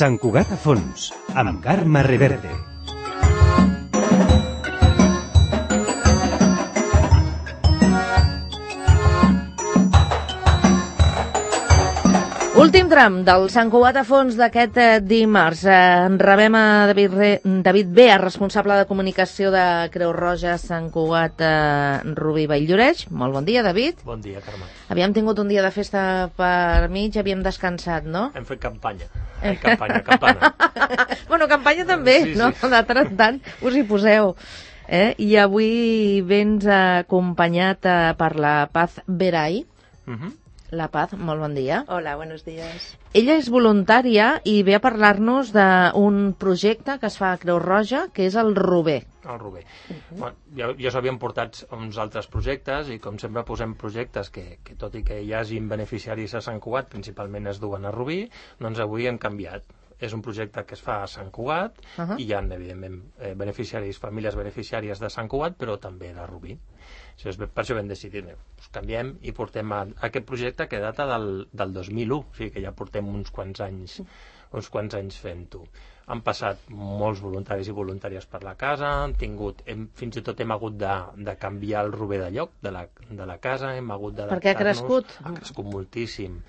Sant Cugat a fons, amb Carme Reverte. Últim tram del Sant Cugat a fons d'aquest dimarts. Rebem a David Bea, responsable de comunicació de Creu Roja Sant Cugat Rubí Vall-lloreix. Molt bon dia, David. Bon dia, Carme. Havíem tingut un dia de festa per mig, havíem descansat, no? Hem fet campanya. Campana. Bueno, campanya també, sí, no? Sí. De tant en tant us hi poseu. I avui vens acompanyat per la Paz Veray. La Paz, molt bon dia. Hola, buenos días. Ella és voluntària i ve a parlar-nos d'un projecte que es fa a Creu Roja, que és el Rober. El Rober. Bueno, ja s'havien portat uns altres projectes i com sempre posem projectes que tot i que hi hagin beneficiaris a Sant Cugat, principalment es duen a Rubí, doncs avui hem canviat. És un projecte que es fa a Sant Cugat i hi ha, evidentment, famílies beneficiàries de Sant Cugat, però també de Rubí. Per això vam decidir, canviem i portem aquest projecte que data del 2001, o sigui que ja portem uns quants anys fent-ho. Han passat molts voluntaris i voluntàries per la casa, fins i tot hem hagut de canviar el Rober de lloc de la casa, hem hagut d'adaptar-nos. Perquè ha crescut? Ha crescut moltíssim.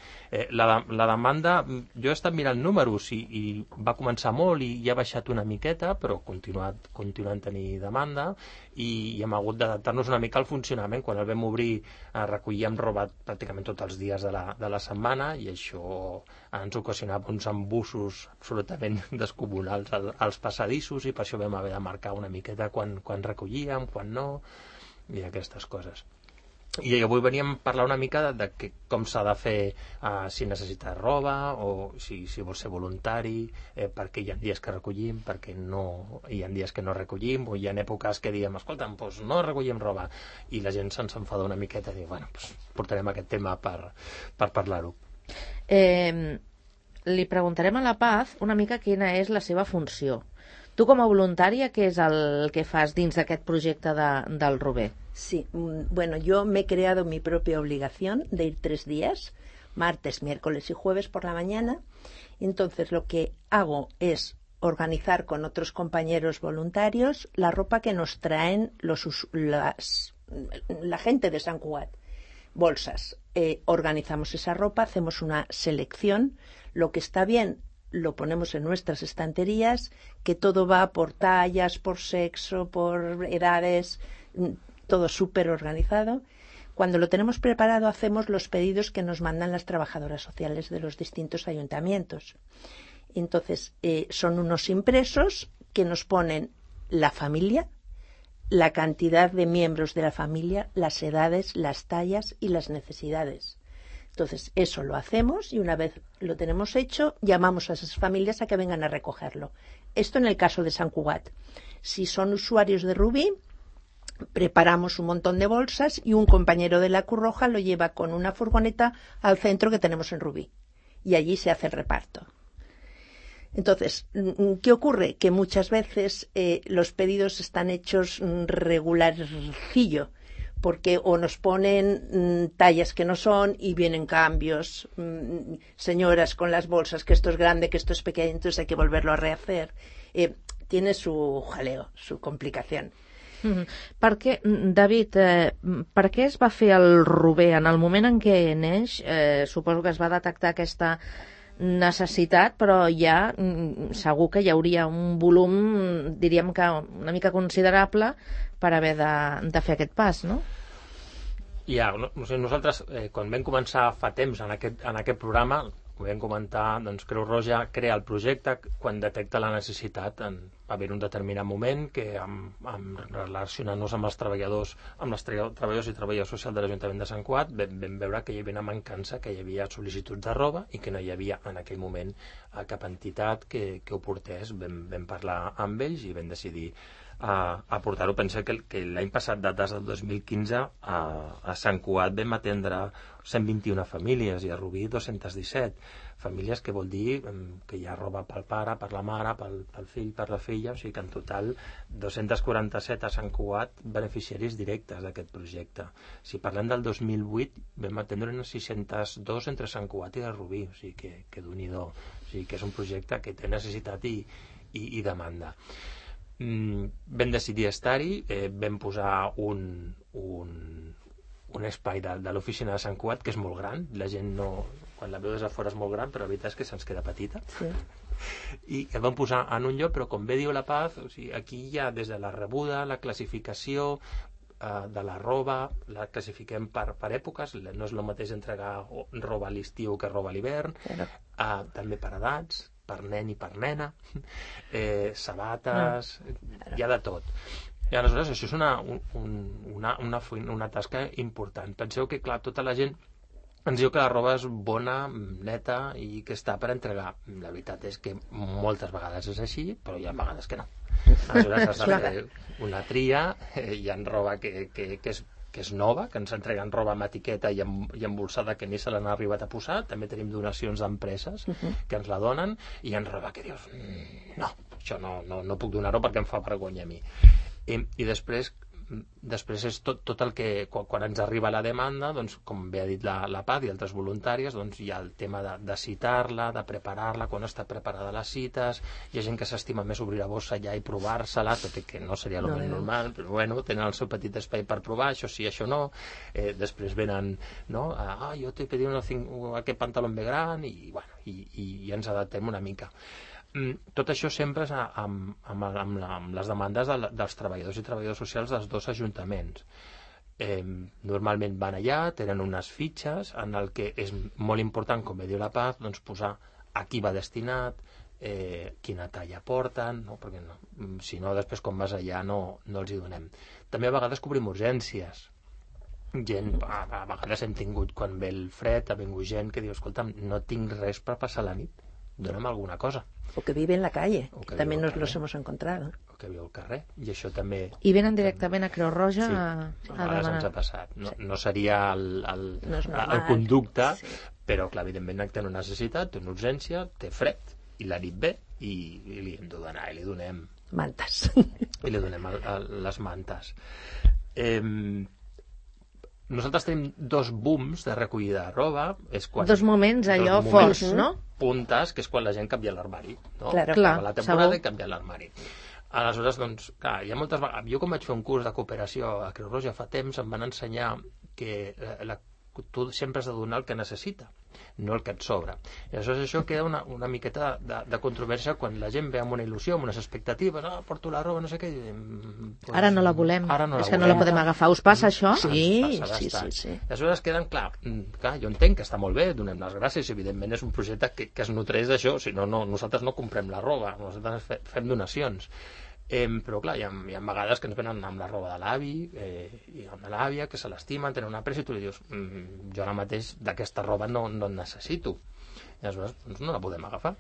La demanda, jo he estat mirant números i va començar molt i ha baixat una miqueta, però continuant tenir demanda i hem hagut d'adaptar-nos una mica al funcionament. Quan el vam obrir recollíem roba pràcticament tots els dies de la setmana i això ens ocasionava uns embussos absolutament descomunals als passadissos i per això vam haver de marcar una miqueta quan recollíem, quan no, i aquestes coses. I avui veníem a parlar una mica de com s'ha de fer si necessita roba o si vol ser voluntari, perquè hi ha dies que recollim, perquè no hi ha dies que no recollim, o hi ha èpoques que diem, escolta'm, doncs no recollim roba, i la gent se'ns enfada una miqueta i diu, bueno, portarem aquest tema per parlar-ho. Li preguntarem a la Paz una mica quina és la seva funció. Tu com a voluntària, què és el que fas dins d'aquest projecte del Rober? Sí, bueno, yo me he creado mi propia obligación de ir 3 días, martes, miércoles y jueves por la mañana. Entonces lo que hago es organizar con otros compañeros voluntarios la ropa que nos traen la gente de Sant Cugat. Bolsas. Organizamos esa ropa, hacemos una selección. Lo que está bien lo ponemos en nuestras estanterías, que todo va por tallas, por sexo, por edades, todo súper organizado. Cuando lo tenemos preparado hacemos los pedidos que nos mandan las trabajadoras sociales de los distintos ayuntamientos. Entonces son unos impresos que nos ponen la familia, la cantidad de miembros de la familia, las edades, las tallas y las necesidades. Entonces eso lo hacemos y una vez lo tenemos hecho llamamos a esas familias a que vengan a recogerlo. Esto en el caso de Sant Cugat. Si son usuarios de Rubí, preparamos un montón de bolsas y un compañero de la Cruz Roja lo lleva con una furgoneta al centro que tenemos en Rubí y allí se hace el reparto. Entonces, ¿qué ocurre? Que muchas veces los pedidos están hechos regularcillo, porque o nos ponen tallas que no son y vienen cambios, señoras con las bolsas, que esto es grande, que esto es pequeño, entonces hay que volverlo a rehacer. Tiene su jaleo, su complicación. Perquè, David, per què es va fer el Rober? En el moment en què neix, suposo que es va detectar aquesta necessitat, però ja segur que hi hauria un volum, diríem que una mica considerable per haver de fer aquest pas, no? Ja, nosaltres, quan vam començar fa temps en aquest programa, ho vam comentar, doncs Creu Roja crea el projecte quan detecta la necessitat. Va haver un determinat moment que, relacionant-nos amb els treballadors i treballadors socials de l'Ajuntament de Sant Cugat, vam veure que hi havia una mancança, que hi havia sol·licituds de roba i que no hi havia en aquell moment cap entitat que ho portés. Vam parlar amb ells i vam decidir a portar-ho. Pensa que l'any passat, dates del 2015, a Sant Cugat vam atendre 121 famílies i a Rubí 217 famílies, que vol dir que hi ha roba pel pare, per la mare, pel fill, per la filla, o sigui que en total 247 a Sant Cugat beneficiaris directes d'aquest projecte. Si parlem del 2008 vam atendre unes 602 entre Sant Cugat i la Rubí, o sigui que Déu-n'hi-do. O sigui que és un projecte que té necessitat i demanda. Vam decidir estar-hi, vam posar un espai de l'oficina de Sant Cugat, que és molt gran, la gent no, quan la veu des de fora és molt gran, però la veritat és que se'ns queda petita. Sí. I el vam posar en un lloc, però com bé diu la Paz, o sigui, aquí hi ha des de la rebuda, la classificació de la roba, la classifiquem per èpoques, no és el mateix entregar roba a l'estiu que roba a l'hivern, també per edats, per nen i per nena, sabates, hi ha de tot. I aleshores això és una tasca important. Penseu que, clar, tota la gent ens diu que la roba és bona, neta i que està per entregar. La veritat és que moltes vegades és així, però hi ha vegades que no. Aleshores has de fer una tria, hi ha roba que és nova, que ens entreguen roba amb etiqueta i embolsada que ni se l'han arribat a posar. També tenim donacions d'empreses que ens la donen, i hi ha roba que dius no, això no puc donar-ho perquè em fa vergonya a mi. I després és tot el que, quan ens arriba la demanda, doncs, com bé ha dit la Paz i altres voluntàries, doncs hi ha el tema de citar-la, de preparar-la, quan està preparada les cites. Hi ha gent que s'estima més obrir la bossa ja i provar-se-la, tot i que no seria el més normal, però bueno, tenen el seu petit espai per provar, això sí, això no. Després venen, no? Jo t'he pedit aquest pantaló bé gran, i bueno, i ens adaptem una mica. Tot això sempre és amb les demandes dels treballadors i treballadores socials dels dos ajuntaments. Normalment van allà, tenen unes fitxes en el que és molt important, com bé diu la Paz, doncs posar a qui va destinat, quina talla porten, no? Perquè si no, després quan vas allà no els hi donem. També a vegades cobrim urgències. A vegades hem tingut, quan ve el fred, ha vingut gent que diu, escolta'm, no tinc res per passar la nit, dona'm alguna cosa. O que vive en la calle, que también nos los hemos encontrado. O que viu al carrer, i això també... I venen directament a Creu Roja a demanar. Ens ha passat. No seria el conducte, però clar, evidentment té una necessitat, té una urgència, té fred, i la nit ve, i li hem de donar, i li donem... Mantes. I li donem les mantes. Nosaltres tenim dos booms de recollida de roba. Dos moments allò forts, no? Puntes, que és quan la gent canvia l'armari, no? Clar, la temporada i canvia l'armari. Aleshores, doncs, clar, hi ha moltes vegades... Jo, com vaig fer un curs de cooperació a Creu Roja fa temps, em van ensenyar que tu sempre has de donar el que necessita, no el que et sobra. I aleshores això queda una miqueta de controvèrsia quan la gent ve amb una il·lusió, amb unes expectatives, porto la roba, no sé què... Ara no la volem, és que no la podem agafar. Us passa això? Sí. Aleshores queden, clar, jo entenc que està molt bé, donem les gràcies, evidentment és un projecte que es nutreix d'això, si no, nosaltres no comprem la roba, nosaltres fem donacions. Però clar, hi ha vegades que ens venen amb la roba de l'avi i amb l'àvia, que se l'estimen, tenen una pressa, i tu li dius, jo ara mateix d'aquesta roba no en necessito, i aleshores no la podem agafar.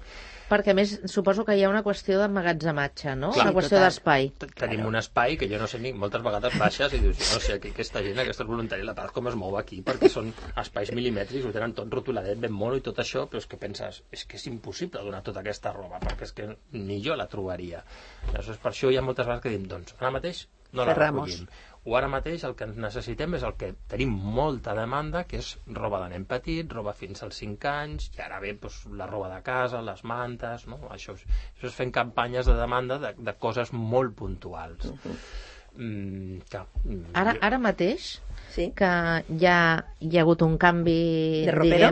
Perquè a més suposo que hi ha una qüestió d'emmagatzematge, no? Clar, una qüestió d'espai. Tenim un espai que jo no sé ni, moltes vegades baixes i dius, no sé, aquesta gent, aquests voluntaris, la Paz com es mou aquí, perquè són espais mil·limètrics, ho tenen tot rotuladet, ben mono i tot això, però és que penses, és que és impossible donar tota aquesta roba, perquè és que ni jo la trobaria. Aleshores, per això hi ha moltes vegades que diem, doncs, ara mateix no la recollim. O ara mateix el que necessitem és el que tenim molta demanda, que és roba de nen petit, roba fins als 5 anys, i ara ve doncs, la roba de casa, les mantes, no? Això és fent campanyes de demanda de coses molt puntuals. Ara mateix sí? Que hi ha hagut un canvi de ropero?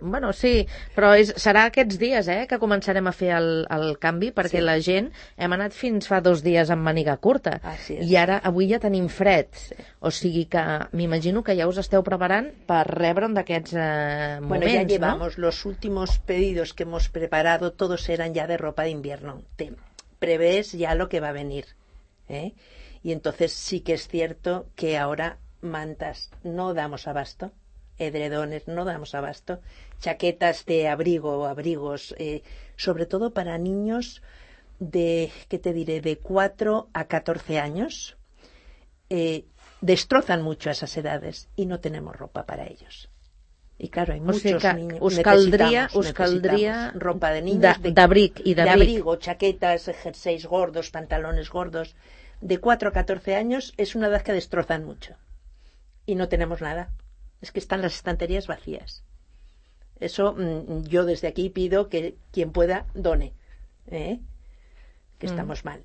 Bueno, sí, però serà aquests dies que començarem a fer el canvi, perquè la gent hem anat fins fa 2 dies amb màniga curta i ara avui ja tenim fred, o sigui que m'imagino que ja us esteu preparant per rebre un d'aquests moments. Bueno, ya llevamos los últimos pedidos que hemos preparado, todos eran ya de ropa de invierno. Te prevés ya lo que va a venir, y entonces sí que es cierto que ahora mantas no damos abasto, edredones no damos abasto, chaquetas de abrigo o abrigos, sobre todo para niños ¿qué te diré?, de 4 a 14 años, destrozan mucho a esas edades y no tenemos ropa para ellos. Y claro, hay muchos niños. Us caldria ropa de niños, d'abric. De abrigo, chaquetas, jerseys gordos, pantalones gordos. De 4 a 14 años es una edad que destrozan mucho. Y no tenemos nada. Es que están las estanterías vacías. Eso yo desde aquí pido que quien pueda done. Que estamos mal.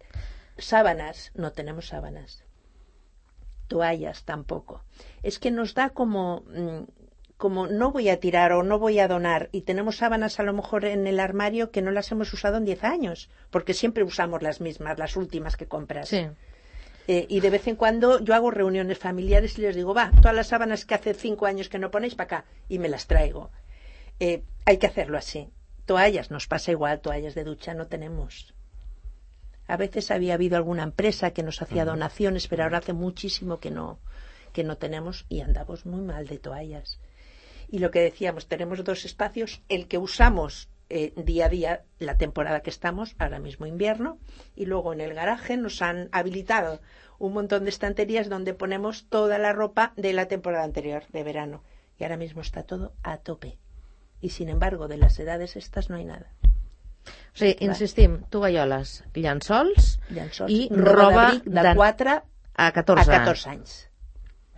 Sábanas, no tenemos sábanas. Toallas tampoco. Es que nos da como no voy a tirar o no voy a donar, y tenemos sábanas a lo mejor en el armario que no las hemos usado en 10 años, porque siempre usamos las mismas, las últimas que compras. Sí. Y de vez en cuando yo hago reuniones familiares y les digo, todas las sábanas que hace 5 años que no ponéis para acá, y me las traigo. Hay que hacerlo así. Toallas, nos pasa igual, toallas de ducha no tenemos. A veces había habido alguna empresa que nos hacía donaciones, pero ahora hace muchísimo que no tenemos, y andamos muy mal de toallas. Y lo que decíamos, tenemos 2 espacios, el que usamos día a día, la temporada que estamos, ahora mismo invierno, y luego en el garaje nos han habilitado un montón de estanterías donde ponemos toda la ropa de la temporada anterior, de verano. Y ahora mismo está todo a tope. Y sin embargo, de las edades estas no hay nada. O sigui, insistim, tovalloles, llençols i roba de 4 a 14 anys.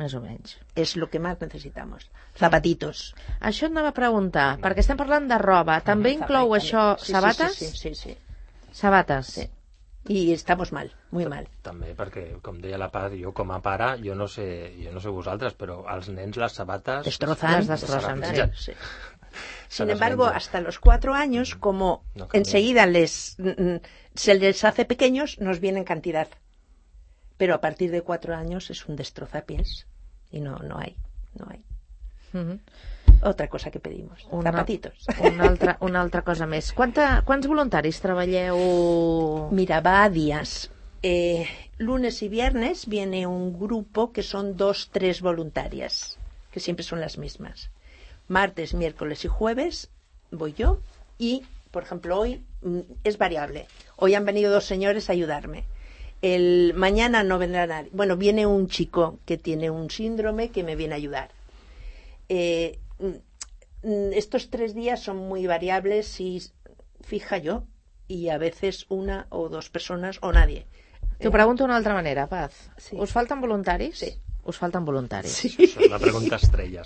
Més o menys. És el que més necessitamos. Zapatitos. Això et anava a preguntar, perquè estem parlant de roba. També inclou això sabates? Sí. Sabates. Sí. I estamos mal, muy mal. També perquè, com deia la Paz, jo com a pare, jo no sé vosaltres, però als nens les sabates... Destrozan. Sí. Sin embargo, hasta los 4 años, como enseguida se les hace pequeños, nos viene en cantidad. Pero a partir de 4 años es un destrozapiés y no hay. Otra cosa que pedimos, zapatitos. Una altra cosa més. Quants voluntaris treballeu? Mira, va a días. Lunes y viernes viene un grupo que son 2-3 voluntarias, que siempre son las mismas. Martes, miércoles y jueves voy yo y, por ejemplo, hoy es variable. Hoy han venido 2 señores a ayudarme. Mañana no vendrá nadie. Bueno, viene un chico que tiene un síndrome que me viene a ayudar. Estos 3 días son muy variables y fija yo, y a veces 1 o 2 personas o nadie. T'ho pregunto d'una altra manera, Paz. Sí. Us falten voluntaris? Sí. Us falten voluntaris. Sí. Això és la pregunta estrella,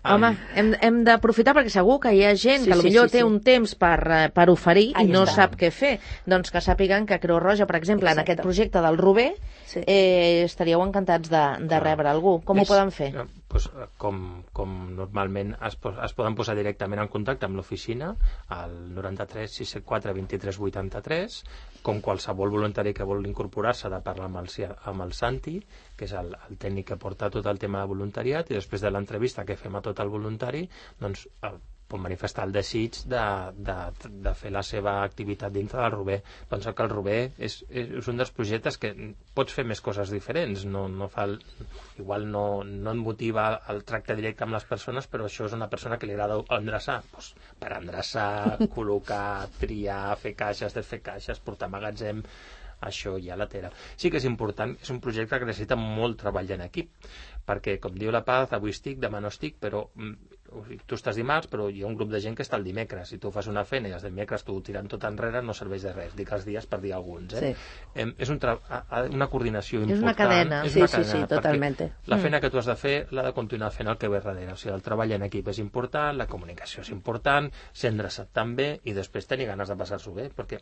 Home, hem d'aprofitar perquè segur que hi ha gent que potser té un temps per oferir i no sap què fer. Doncs que sàpiguen que Creu Roja, per exemple, en aquest projecte del Rober, estaríeu encantats de rebre algú. Com ho poden fer? Pues, com normalment es poden posar directament en contacte amb l'oficina al 93 674 23 83, com qualsevol voluntari que vol incorporar-se ha de parlar amb el Santi, que és el tècnic que porta tot el tema de voluntariat, i després de l'entrevista que fem a tot el voluntari, doncs pot manifestar el desig de fer la seva activitat dintre del Rober. Penso que el Rober és un dels projectes que pots fer més coses diferents, igual no et motiva el tracte directe amb les persones, però això és una persona que li agrada endreçar, doncs, per endreçar, col·locar, triar, fer caixes, desfer caixes, portar magatzem, això ja la tela. Sí que és important, és un projecte que necessita molt treball en equip, perquè, com diu la Paz, avui estic, demà no estic, però tu estàs dimarts, però hi ha un grup de gent que està el dimecres. Si tu fas una feina i els dimecres tu tirant tot enrere, no serveix de res. Dic els dies per dir alguns. És una coordinació important. És una cadena. Sí, totalment. La feina que tu has de fer l'ha de continuar fent el que ve darrere. O sigui, el treball en equip és important, la comunicació és important, ser endreçat també, i després tenir ganes de passar-s'ho bé, perquè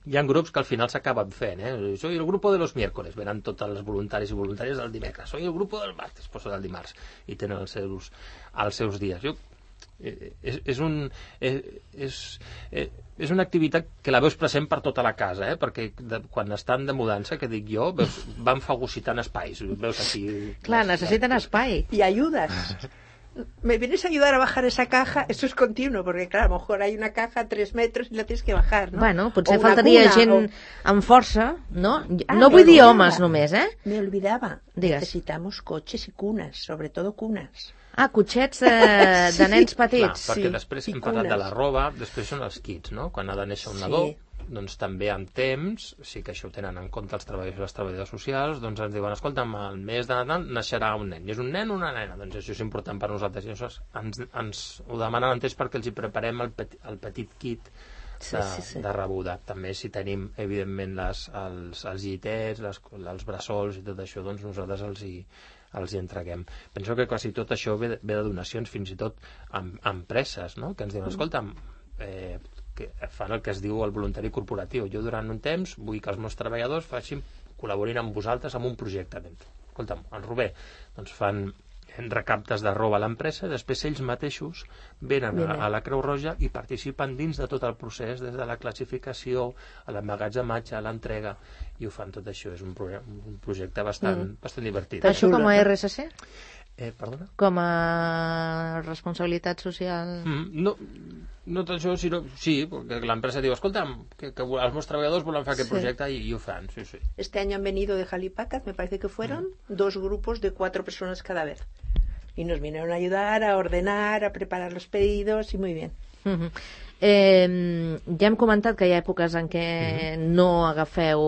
hi ha grups que al final s'acaben fent, soy el grupo de los miércoles, venen tots els voluntaris i voluntàries del dimecres, soy el grupo del martes, pues del dimarts, i tenen els seus dies. És una activitat que la veus present per tota la casa, perquè quan estan de mudança, que dic jo, van fagocitant espais, veus aquí... Clar, necessiten espai. I ajudes. ¿Me vienes a ayudar a bajar esa caja? Eso es continuo, porque claro, a lo mejor hay una caja a 3 metros y la tienes que bajar, ¿no? Bueno, potser faltaria gent amb força, no? No vull dir homes només, Me olvidaba. Digues. Necesitamos coches y cunas, sobre todo cunas. Cotxets de nens petits. Clar, perquè després hem parlat de la roba, després són els kits, no? Quan ha de néixer un nadó, doncs també amb temps, sí que això ho tenen en compte els treballadors i les treballadores socials, doncs ens diuen, escolta, al mes de Nadal naixerà un nen, i és un nen o una nena, doncs això és important per nosaltres, i això ens ho demanen en temps perquè els hi preparem el petit kit de rebuda. També si tenim, evidentment, els llitets, els bressols i tot això, doncs nosaltres els hi entreguem. Penso que quasi tot això ve de donacions, fins i tot amb empreses, no? Que ens diuen, escolta'm, que fan el que es diu el voluntari corporatiu. Jo durant un temps vull que els meus treballadors col·laborin amb vosaltres en un projecte. Escolta'm, el Rober, doncs fan recaptes de roba a l'empresa, després ells mateixos venen a la Creu Roja i participen dins de tot el procés, des de la classificació, a l'emmagatzematge, a l'entrega, i ho fan tot això. És un projecte bastant divertit. Això com a RSC? Perdona? Com a responsabilitat social? No tot això, sinó... Sí, perquè l'empresa diu, escolta'm, que els meus treballadors volen fer aquest projecte i ho fan, sí. Este año han venido de Jalipácat, me parece que fueron 2 grupos de 4 personas cada vez. Y nos vinieron a ayudar, a ordenar, a preparar los pedidos, y muy bien. Ja hem comentat que hi ha èpoques en què no agafeu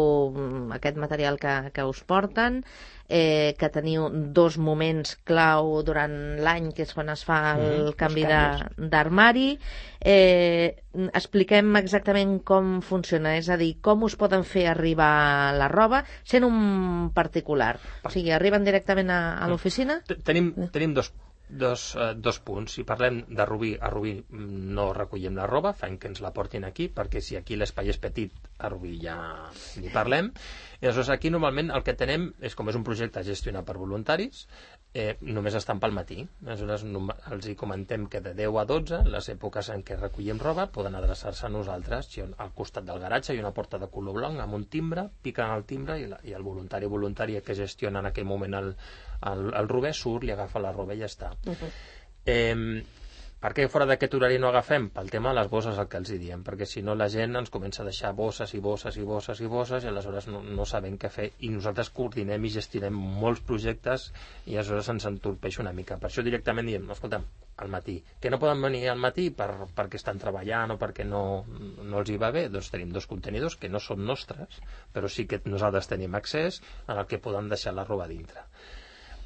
aquest material que us porten, que teniu 2 moments clau durant l'any, que és quan es fa el canvi d'armari. Expliquem exactament com funciona, és a dir, com us poden fer arribar la roba sent un particular. O sigui, arriben directament a l'oficina? Tenim dos punts. Si parlem de Rubí, a Rubí no recollem la roba, fem que ens la portin aquí, perquè si aquí l'espai és petit, a Rubí ja ni parlem. I aleshores aquí normalment el que tenem és, com és un projecte gestionat per voluntaris, només estan pel matí. Aleshores els hi comentem que de 10 a 12, les èpoques en què recollem roba, poden adreçar-se a nosaltres. Al costat del garatge hi ha una porta de color blanc amb un timbre, piquen el timbre i el voluntari o voluntària que gestiona en aquell moment el Rober surt, li agafa la roba i ja està. Per què fora d'aquest horari no agafem? Pel tema de les bosses, el que els hi diem, perquè si no la gent ens comença a deixar bosses i bosses i bosses i bosses i aleshores no sabem què fer, i nosaltres coordinem i gestionem molts projectes i aleshores ens entorpeix una mica. Per això directament diem, escolta'm, al matí, que no poden venir al matí perquè estan treballant o perquè no els hi va bé, doncs tenim 2 contenidors que no són nostres, però sí que nosaltres tenim accés en el que poden deixar la roba dintre.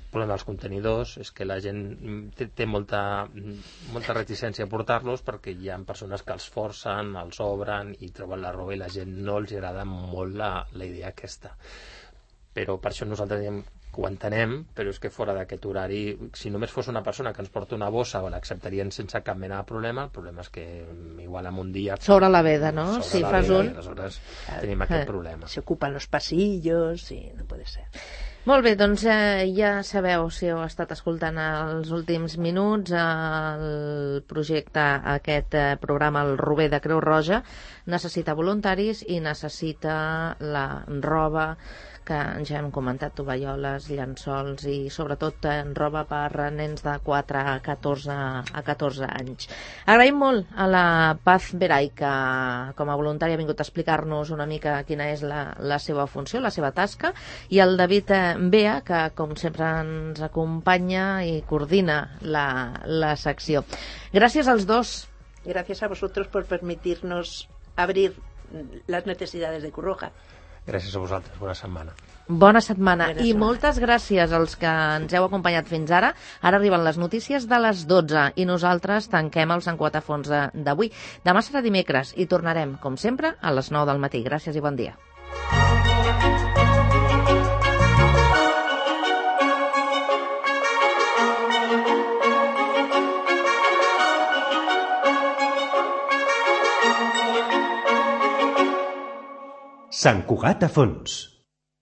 El problema dels contenidors és que la gent té molta reticència a portar-los perquè hi ha persones que els forcen, els obren i troben la roba i la gent no els agrada molt la idea aquesta. Però per això nosaltres diem que ho entenem, però és que fora d'aquest horari, si només fos una persona que ens porta una bossa o l'acceptarien sense cap mena de problema, el problema és que igual en un dia... Sobre la veda, no? Si fas un... Aleshores tenim aquest problema. Se ocupan los pasillos i no puede ser. Molt bé, doncs ja sabeu, si heu estat escoltant els últims minuts, el projecte, aquest programa, el Rober de Creu Roja, necessita voluntaris i necessita la roba que ja hem comentat, tovalloles, llençols i sobretot roba per nens de 4 a 14 anys. Agraïm molt a la Paz Veray, que com a voluntària ha vingut a explicar-nos una mica quina és la seva funció, la seva tasca, i al David Bea, que com sempre ens acompanya i coordina la secció. Gràcies als dos. Gracias a vosotros por permitirnos abrir las necesidades de Creu Roja. Gràcies a vosaltres, bona setmana. Bona setmana. I moltes gràcies als que ens heu acompanyat fins ara. Ara arriben les notícies de les 12 i nosaltres tanquem el Sant Cugat a fons d'avui. Demà serà dimecres i tornarem, com sempre, a les 9 del matí. Gràcies i bon dia. Sant Cugat a fons.